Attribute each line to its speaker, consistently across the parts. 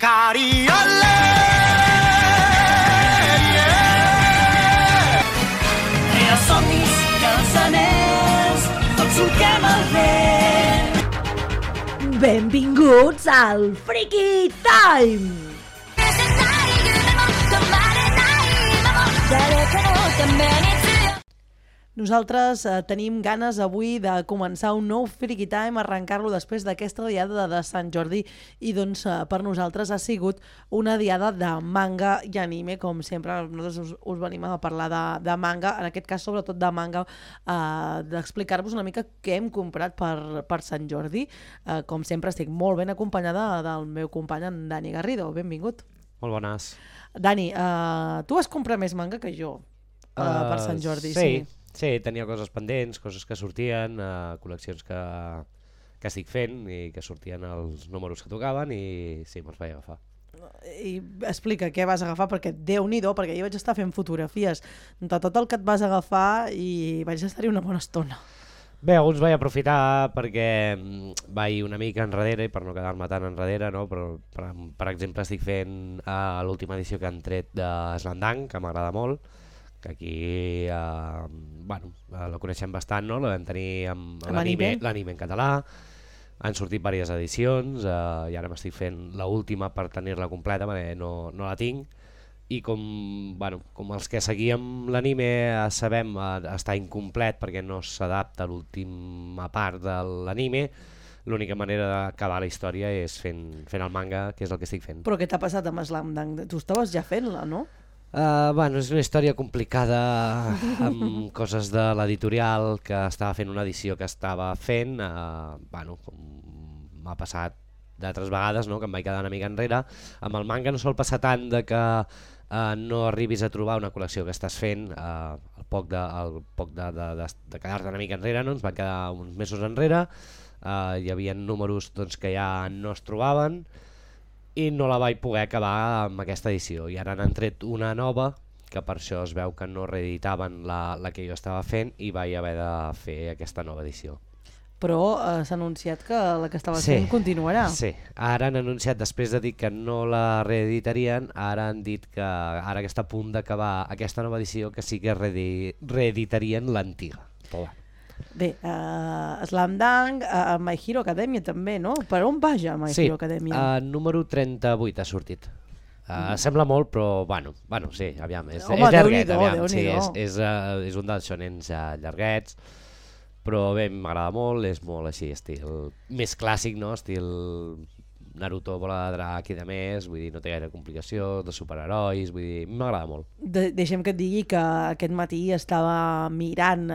Speaker 1: Cariole!
Speaker 2: Els somnis i els anells, tots solquem el vent.
Speaker 3: Benvinguts al Freaky Time! Nosaltres tenim ganes avui de començar un nou Freaky Time, arrencar-lo després d'aquesta diada de Sant Jordi i doncs per nosaltres ha sigut una diada de manga i anime, com sempre nosaltres us venim a parlar de manga, en aquest cas sobretot de manga, d'explicar-vos una mica què hem comprat per Sant Jordi. Com sempre estic molt ben acompanyada del meu company en Dani Garrido, benvingut.
Speaker 4: Molt bones.
Speaker 3: Dani, tu vas comprar més manga que jo per Sant Jordi, sí?
Speaker 4: Sí, tenia coses pendents, coses que sortien, col·leccions que estic fent i que sortien els números que tocaven i sí, me'ls vaig agafar.
Speaker 3: I explica què vas agafar, perquè Déu-n'hi-do, perquè jo vaig estar fent fotografies de tot el que et vas agafar i vaig estar-hi una bona estona.
Speaker 4: Bé, alguns vaig aprofitar perquè vaig una mica enrere i per no quedar-me tan enrere, no? Però, per exemple, estic fent l'última edició que han tret de Slandang, que m'agrada molt, que aquí la coneixem bastant, no? La vam tenir amb l'anime en català, han sortit diverses edicions i ara m'estic fent l'última per tenir-la completa perquè no la tinc i com els que seguíem l'anime sabem està incomplet perquè no s'adapta a l'última part de l'anime, l'única manera d'acabar la història és fent el manga, que és el que estic fent.
Speaker 3: Però què t'ha passat amb Slandang? Tu estaves ja fent-la, no?
Speaker 4: És una història complicada amb coses de l'editorial que estava fent una edició que estava fent, com m'ha passat d'altres vegades, no? Que em vaig quedar una mica enrere. Amb el manga no sol passar tant de que no arribis a trobar una col·lecció que estàs fent, al poc de quedar-te una mica enrere, no? Ens van quedar uns mesos enrere, hi havia números que ja no es trobaven, i no la vaig poder acabar amb aquesta edició i ara n'han tret una nova que per això es veu que no reeditaven la que jo estava fent i vaig haver de fer aquesta nova edició.
Speaker 3: Però s'ha anunciat que la que estaves fent continuarà.
Speaker 4: Sí, ara han anunciat, després de dir que no la reeditarien, ara han dit que ara que està a punt d'acabar aquesta nova edició que sí que reeditarien l'antiga.
Speaker 3: Bé, Slandang, My Hero Academia també, no? Per on va ja My Hero Academia?
Speaker 4: Sí, número 38 ha sortit. Sembla molt, però sí, aviam, és llarguet, aviam, sí, és un dels shonens llarguets, però bé, m'agrada molt, és molt així, estil més clàssic, no? Estil Naruto, bola de drac i de més, vull dir, no té gaire complicació, de superherois, vull dir, m'agrada molt.
Speaker 3: Deixem que et digui que aquest matí estava mirant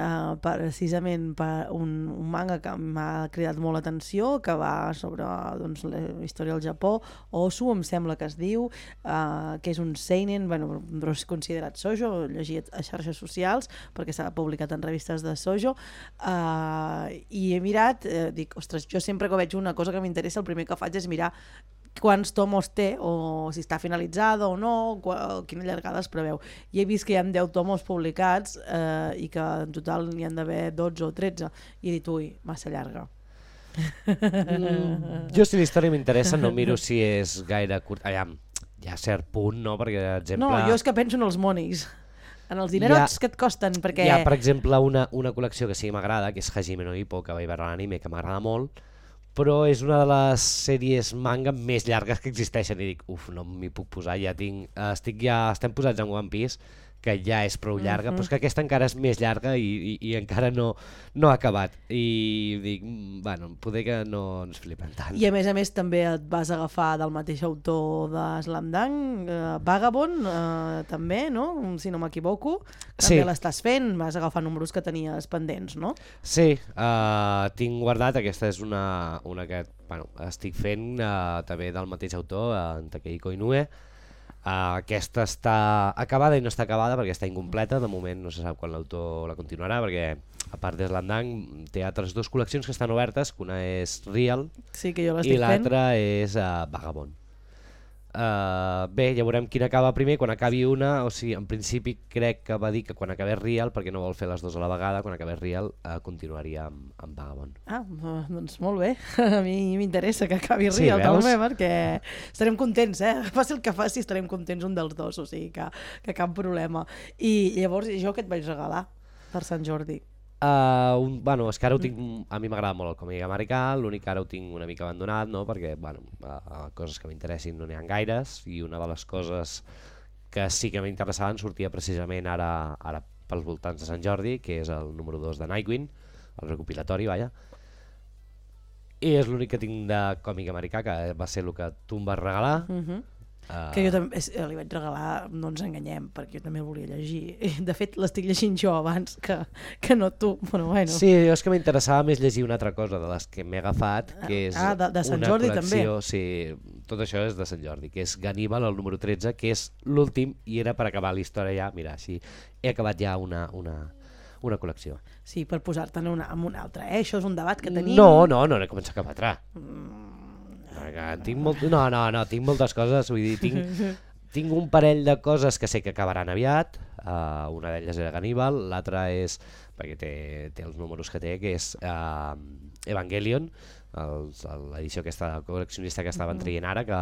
Speaker 3: precisament per un manga que m'ha cridat molt l'atenció, que va sobre la història del Japó, Osu, em sembla que es diu, que és un seinen, però és considerat shoujo, llegit a xarxes socials, perquè s'ha publicat en revistes de shoujo, i he mirat, dic, ostres, jo sempre que veig una cosa que m'interessa, el primer que faig és mirar quants tomos té, o si està finalitzada o no, quina llargada es preveu. I he vist que hi ha 10 tomos publicats i que en total n'hi han d'haver 12 o 13. I he dit, ui, massa llarga.
Speaker 4: Jo si la història m'interessa no miro si és gaire curt. Aviam, hi ha cert punt, no? Perquè, per exemple...
Speaker 3: No, jo és que penso en els monis. En els dinerots que et costen, perquè...
Speaker 4: Hi ha, per exemple, una col·lecció que sí que m'agrada, que és Hajime no Ippo, que vaig veure l'anime, que m'agrada molt, però és una de les sèries manga més llargues que existeixen i dic, no m'hi puc posar, estem posats en One Piece, que ja és prou llarga, però és que aquesta encara és més llarga i encara no ha acabat. I dic, poder que no ens flipem tant.
Speaker 3: I a més també et vas agafar del mateix autor de Slandang, Vagabond, també, no? Si no m'equivoco. També l'estàs fent, vas agafar números que tenies pendents, no?
Speaker 4: Sí, tinc guardat, aquesta és una que estic fent també del mateix autor, en Takehiko Inoue. Aquesta està acabada i no està acabada perquè està incompleta, de moment no se sap quan l'autor la continuarà, perquè a part de Slandang té altres dues col·leccions que estan obertes, que una és Real i l'altra és Vagabond. Bé, ja veurem quina acaba primer. Quan acabi una, o sigui, en principi crec que va dir que quan acabés Real, perquè no vol fer les dues a la vegada, quan acabés Real continuaria amb Vagabond.
Speaker 3: Doncs molt bé, a mi m'interessa que acabi
Speaker 4: Sí,
Speaker 3: Real
Speaker 4: veus?
Speaker 3: també, perquè estarem contents, faci el que faci, estarem contents un dels dos, o sigui que cap problema. I llavors jo què et vaig regalar per Sant Jordi?
Speaker 4: Bueno, és que ara ho tinc, a mi m'agrada molt el còmic americà, l'únic que ara ho tinc una mica abandonat, no? Perquè bueno, coses que m'interessin no n'hi ha gaires, i una de les coses que sí que m'interessaven sortia precisament ara pels voltants de Sant Jordi, que és el número 2 de Nightwing, el recopilatori, vaja, i és l'únic que tinc de còmic americà, que va ser el que tu em vas regalar.
Speaker 3: Que jo també li vaig regalar, no ens enganyem, perquè jo també el volia llegir. De fet, l'estic llegint jo abans que no tu, però bueno.
Speaker 4: Sí, jo és que m'interessava més llegir una altra cosa de les que m'he agafat, que és
Speaker 3: de Sant
Speaker 4: una
Speaker 3: Jordi
Speaker 4: col·lecció,
Speaker 3: també.
Speaker 4: sí, tot això és de Sant Jordi, que és Ganníbal, el número 13, que és l'últim, i era per acabar la història ja, mira, així, he acabat ja una col·lecció.
Speaker 3: Sí, per posar-te'n amb una altra, Això és un debat que tenim.
Speaker 4: No he començat cap altra. Tinc moltes coses, vull dir, tinc un parell de coses que sé que acabaran aviat, una d'elles era Ganníbal, l'altra és, perquè té els números que té, que és Evangelion, l'edició aquesta col·leccionista que estaven traient ara, que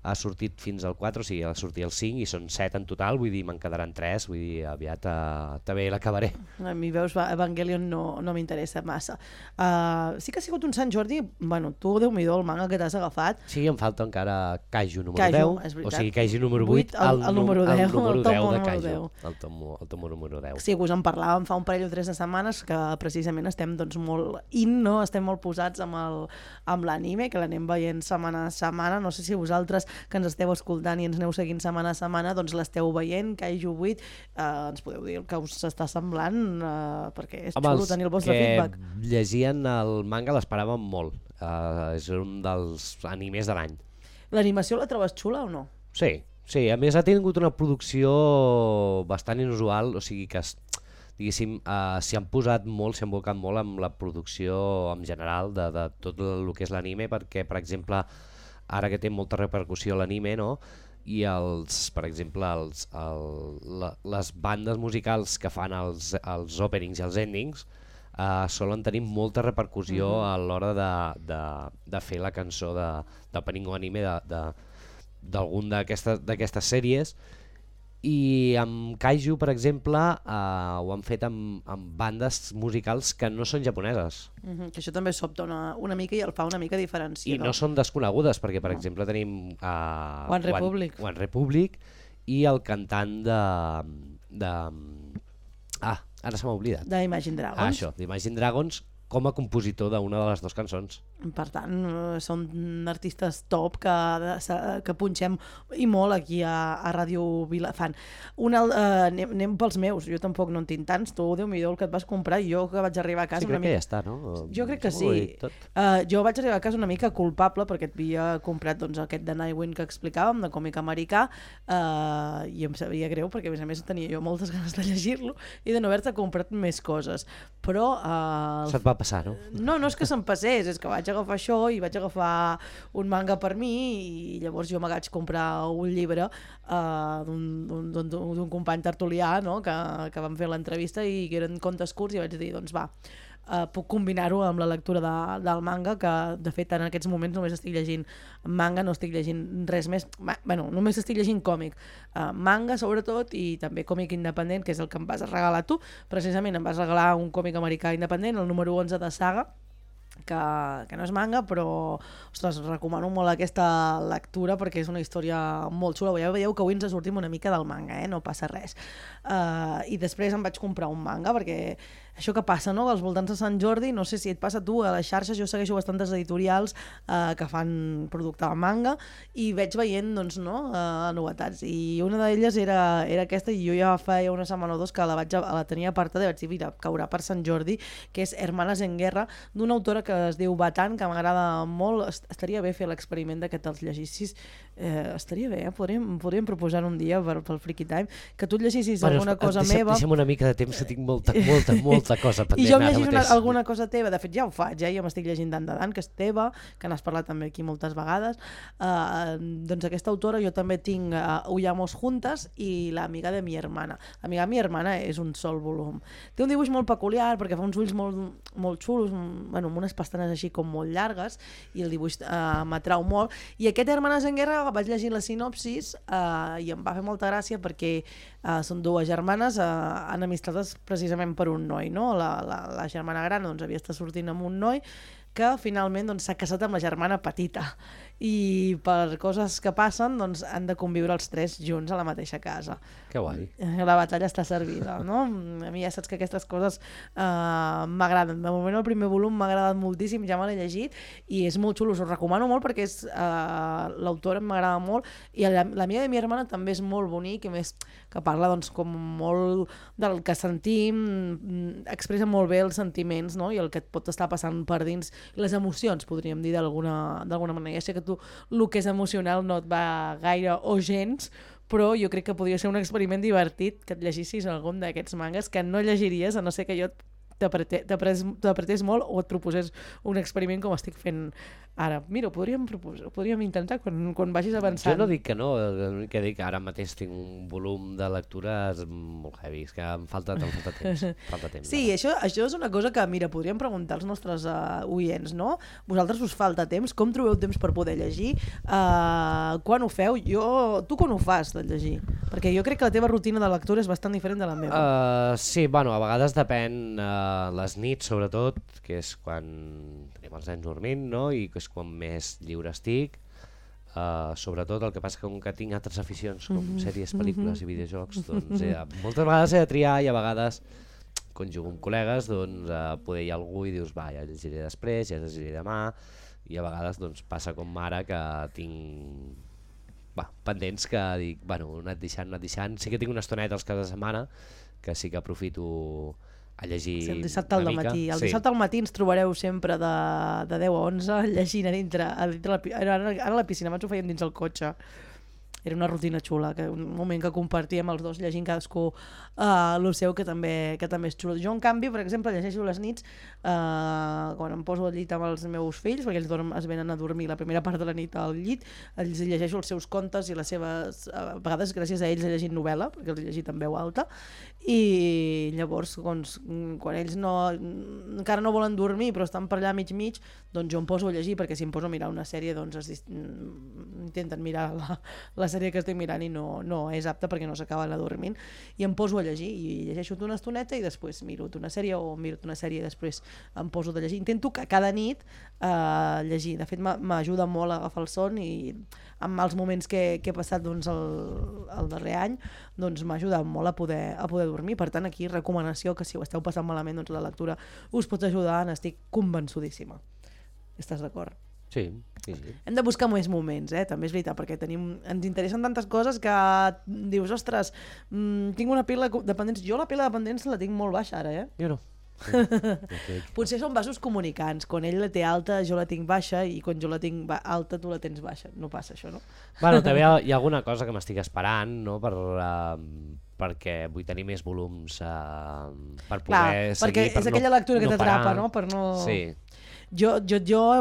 Speaker 4: ha sortit fins al 4, o sigui, ha sortit el 5 i són 7 en total, vull dir, me'n quedaran 3, vull dir, aviat també l'acabaré.
Speaker 3: A mi, veus, Evangelion no m'interessa massa. Sí que ha sigut un Sant Jordi, bueno, tu, Déu-m'hi-do, el manga que t'has agafat.
Speaker 4: Sí, em falta encara Kaiju número
Speaker 3: Kaiju,
Speaker 4: 10,
Speaker 3: és veritat.
Speaker 4: o sigui, Kaiju número 8,
Speaker 3: el número 10,
Speaker 4: el número
Speaker 3: el
Speaker 4: 10
Speaker 3: tomo
Speaker 4: de
Speaker 3: número
Speaker 4: Kaiju,
Speaker 3: 10.
Speaker 4: el tomo número 10.
Speaker 3: Sí, us en parlàvem fa un parell o 3 de setmanes que precisament estem doncs, molt no? Estem molt posats amb l'anime, que l'anem veient setmana a setmana. No sé si vosaltres que ens esteu escoltant i ens aneu seguint setmana a setmana doncs l'esteu veient, Kaiju 8, ens podeu dir el que us està semblant, perquè és xulo tenir el vostre feedback.
Speaker 4: Els que llegien el manga l'esperàvem molt, és un dels animes de l'any.
Speaker 3: L'animació la trobes xula o no?
Speaker 4: Sí, a més ha tingut una producció bastant inusual, o sigui que diguéssim, s'hi han posat molt, s'hi han volcat molt amb la producció en general de tot el que és l'anime, perquè per exemple ara que té molta repercussió l'anime, no? I per exemple les bandes musicals que fan els openings i els endings solen tenir molta repercussió a l'hora de fer la cançó d'opening o anime d'algun d'aquestes sèries. I amb Kaiju, per exemple, ho han fet amb bandes musicals que no són japoneses.
Speaker 3: Que això també sobta una mica i el fa una mica diferenciador.
Speaker 4: I no són desconegudes, perquè per exemple tenim
Speaker 3: One
Speaker 4: Republic i el cantant ara se m'ha oblidat.
Speaker 3: d'Imagine Dragons.
Speaker 4: Això, d'Imagine Dragons, com a compositor d'una de les dues cançons.
Speaker 3: Per tant, són artistes top que punxem i molt aquí a Ràdio Vilafant. Anem pels meus, jo tampoc no en tinc tants, tu, Déu-m'hi-do, el que et vas comprar, jo que vaig arribar a casa...
Speaker 4: Sí, crec que ja està, no?
Speaker 3: Jo crec que sí. Jo vaig arribar a casa una mica culpable perquè et havia comprat aquest de Nightwing que explicàvem, de còmic americà, i em sabia greu perquè a més tenia jo moltes ganes de llegir-lo i de no haver-te comprat més coses. Però...
Speaker 4: Se't va passar, no?
Speaker 3: No és que se'm passés, és que vaig agafar això i vaig agafar un manga per mi i llavors jo me vaig comprar un llibre d'un company tertulià, no? que vam fer l'entrevista i que eren contes curts i vaig dir, doncs va, puc combinar-ho amb la lectura del manga, que de fet en aquests moments només estic llegint manga, no estic llegint res més, només estic llegint còmic, manga sobretot, i també còmic independent, que és el que em vas regalar tu. Precisament em vas regalar un còmic americà independent, el número 11 de Saga, que no és manga, però ostres, recomano molt aquesta lectura perquè és una història molt xula. Ja veieu que avui ens sortim una mica del manga, no passa res. I després em vaig comprar un manga perquè això que passa, no? Als voltants de Sant Jordi, no sé si et passa a tu, a les xarxes jo segueixo bastantes editorials que fan producte de manga i veig veient novetats, i una d'elles era aquesta, i jo ja feia una setmana o dos que la tenia apartada i vaig dir, mira, caurà per Sant Jordi, que és Hermanas en Guerra, d'una autora que es diu Batan, que m'agrada molt. Estaria bé fer l'experiment de que te'ls llegissis. Estaria bé, podríem proposar un dia pel Freaky Time que tu et llegissis alguna cosa meva.
Speaker 4: Deixa'm una mica de temps, que tinc molta cosa pendent.
Speaker 3: I jo em llegis alguna cosa teva. De fet, ja ho faig, jo m'estic llegint Dan de Dan, que és teva, que n'has parlat també aquí moltes vegades. Doncs aquesta autora jo també tinc Huyamos Juntas i L'amiga de mi hermana. L'amiga de mi hermana és un sol volum. Té un dibuix molt peculiar perquè fa uns ulls molt xulos, amb unes pestanes així com molt llargues, i el dibuix m'atrau molt. I aquest Hermanes en Guerra vaig llegir la sinopsis i em va fer molta gràcia perquè són dues germanes enemistades precisament per un noi, no? La germana gran havia estat sortint amb un noi que finalment s'ha casat amb la germana petita i per coses que passen han de conviure els tres junts a la mateixa casa.
Speaker 4: Que guai.
Speaker 3: La batalla està servida, no? A mi ja saps que aquestes coses m'agraden. De moment el primer volum m'ha agradat moltíssim, ja me l'he llegit i és molt xulo, us ho recomano molt perquè l'autora m'agrada molt i l'amiga de mi hermana també és molt bonic, i més que parla com molt del que sentim, expressa molt bé els sentiments, no? I el que et pot estar passant per dins, les emocions, podríem dir d'alguna manera. Ja sé que tu el que és emocional no et va gaire o gens, però jo crec que podria ser un experiment divertit que et llegissis algun d'aquests mangas que no llegiries a no ser que jo t'apretés molt o et proposés un experiment com estic fent ara. Mira, podríem intentar quan vagis avançant.
Speaker 4: Jo no dic que no, que dic que ara mateix tinc un volum de lectures molt heavy, és que em falta temps.
Speaker 3: Sí, això és una cosa que, mira, podríem preguntar als nostres oients, no? Vosaltres us falta temps? Com trobeu temps per poder llegir? Quan ho feu? Tu quan ho fas de llegir? Perquè jo crec que la teva rutina de lectura és bastant diferent de la meva.
Speaker 4: Sí, bueno, a vegades depèn les nits, sobretot, que és quan tenim els nens dormint, no? I que és quan més lliure estic. Sobretot el que passa que tinc altres aficions com sèries, pel·lícules i videojocs, doncs moltes vegades he de triar i a vegades quan jugo amb col·legues poder hi ha algú i dius ja llegiré després, ja llegiré demà, i a vegades passa com ara que tinc pendents que dic, anat deixant. Sí que tinc una estoneta als caps de setmana que sí que aprofito a llegir
Speaker 3: el dissabte al matí. El dissabte al matí ens trobareu sempre de 10 a 11 llegint a dintre ara a la piscina, abans ho fèiem dins el cotxe. Era una rutina xula, un moment que compartíem els dos llegint cadascú el seu, que també és xulo. Jo, en canvi, per exemple, llegeixo les nits quan em poso al llit amb els meus fills, perquè ells es venen a dormir la primera part de la nit al llit, els llegeixo els seus contes i les seves... A vegades, gràcies a ells, he llegit novel·la, perquè els he llegit en veu alta, i llavors, quan ells encara no volen dormir, però estan per allà mig, doncs jo em poso a llegir, perquè si em poso a mirar una sèrie, doncs intenten mirar la sèrie que estic mirant i no és apta perquè no s'acaben adormint, i em poso a llegir i llegeixo una estoneta i després miro una sèrie i després em poso a llegir. Intento que cada nit llegir. De fet, m'ajuda molt a agafar el son i amb els moments que he passat el darrer any m'ha ajudat molt a poder dormir. Per tant, aquí recomanació que si ho esteu passant malament, la lectura us pot ajudar, n'estic convençudíssima. Estàs d'acord?
Speaker 4: Sí.
Speaker 3: Hem de buscar més moments, també és veritat, perquè ens interessen tantes coses que dius, ostres, tinc una pila de dependents. Jo la pila de dependents la tinc molt baixa ara,
Speaker 4: Jo no.
Speaker 3: Potser són vasos comunicants. Quan ell la té alta, jo la tinc baixa, i quan jo la tinc alta, tu la tens baixa. No passa això, no?
Speaker 4: Bueno, també hi ha alguna cosa que m'estic esperant, no? Perquè vull tenir més volums per poder seguir,
Speaker 3: perquè és aquella lectura que t'atrapa, no? Per no...
Speaker 4: Sí.
Speaker 3: Jo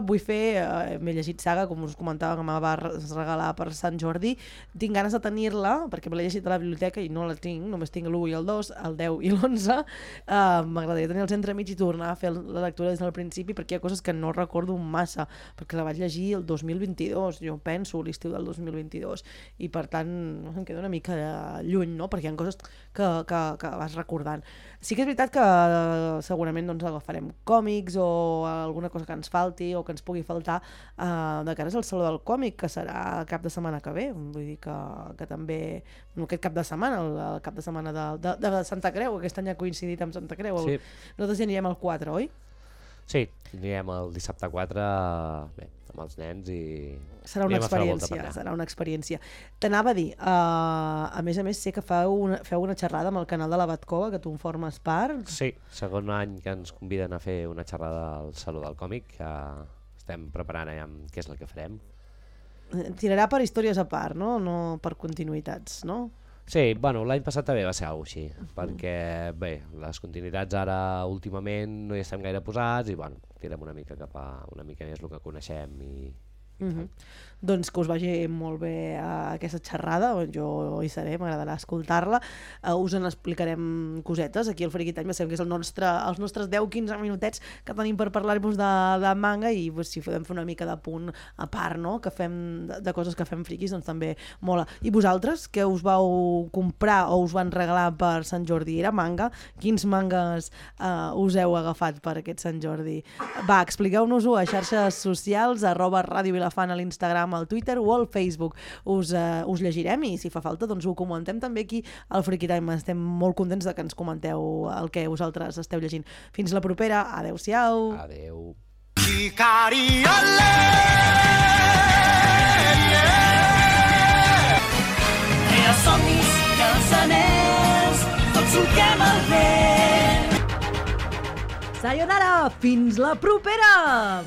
Speaker 3: vull fer, m'he llegit Saga, com us comentava, que me va regalar per Sant Jordi. Tinc ganes de tenir-la, perquè me l'he llegit a la biblioteca i no la tinc, només tinc l'1 i el 2, el 10 i l'11. M'agradaria tenir els entremig i tornar a fer la lectura des del principi, perquè hi ha coses que no recordo massa, perquè la vaig llegir el 2022, jo penso, l'estiu del 2022, i per tant em queda una mica lluny, no? Perquè hi ha coses que vas recordant. Sí que és veritat que segurament agafarem còmics o alguna cosa que ens falti o que ens pugui faltar de cara al Saló del Còmic, que serà el cap de setmana que ve. Vull dir que també, no aquest cap de setmana, el cap de setmana de Santa Creu, aquest any ha coincidit amb Santa Creu. Nosaltres ja anirem al 4, oi?
Speaker 4: Sí, anirem el dissabte 4, amb els nens i...
Speaker 3: Serà una experiència. T'anava a dir, a més sé que feu una xerrada amb el canal de la Batcova, que tu en formes part.
Speaker 4: Sí, segon any que ens conviden a fer una xerrada al Saló del Còmic, que estem preparant què és el que farem.
Speaker 3: Tirarà per històries a part, no per continuïtats, no?
Speaker 4: Sí, bueno, l'any passat també va ser alguna cosa així, perquè bé, les continuïtats ara últimament no hi estem gaire posats i bueno, tirem una mica cap a una mica més el que coneixem i
Speaker 3: Doncs que us vagi molt bé aquesta xerrada, jo hi seré, m'agradarà escoltar-la. Us en explicarem cosetes aquí al Friki Time, sabem que és els nostres 10-15 minutets que tenim per parlar-vos de manga i si podem fer una mica de punt a part, no? Que fem de coses que fem friquis, doncs també mola. I vosaltres, què us vau comprar o us van regalar per Sant Jordi? Era manga? Quins mangas us heu agafat per aquest Sant Jordi? Va, expliqueu-nos-ho a xarxes socials, @Ràdio Vilafant a l'Instagram, al Twitter o al Facebook. Us llegirem i si fa falta doncs ho comentem també aquí al Friki Time. Estem molt contents de que ens comenteu el que vosaltres esteu llegint. Fins la propera, adeu-siau.
Speaker 4: Adeu.
Speaker 2: Crea somnis i els anells, tots solquem el vent.
Speaker 3: Sayonara, fins la propera!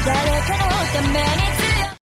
Speaker 1: 誰かのために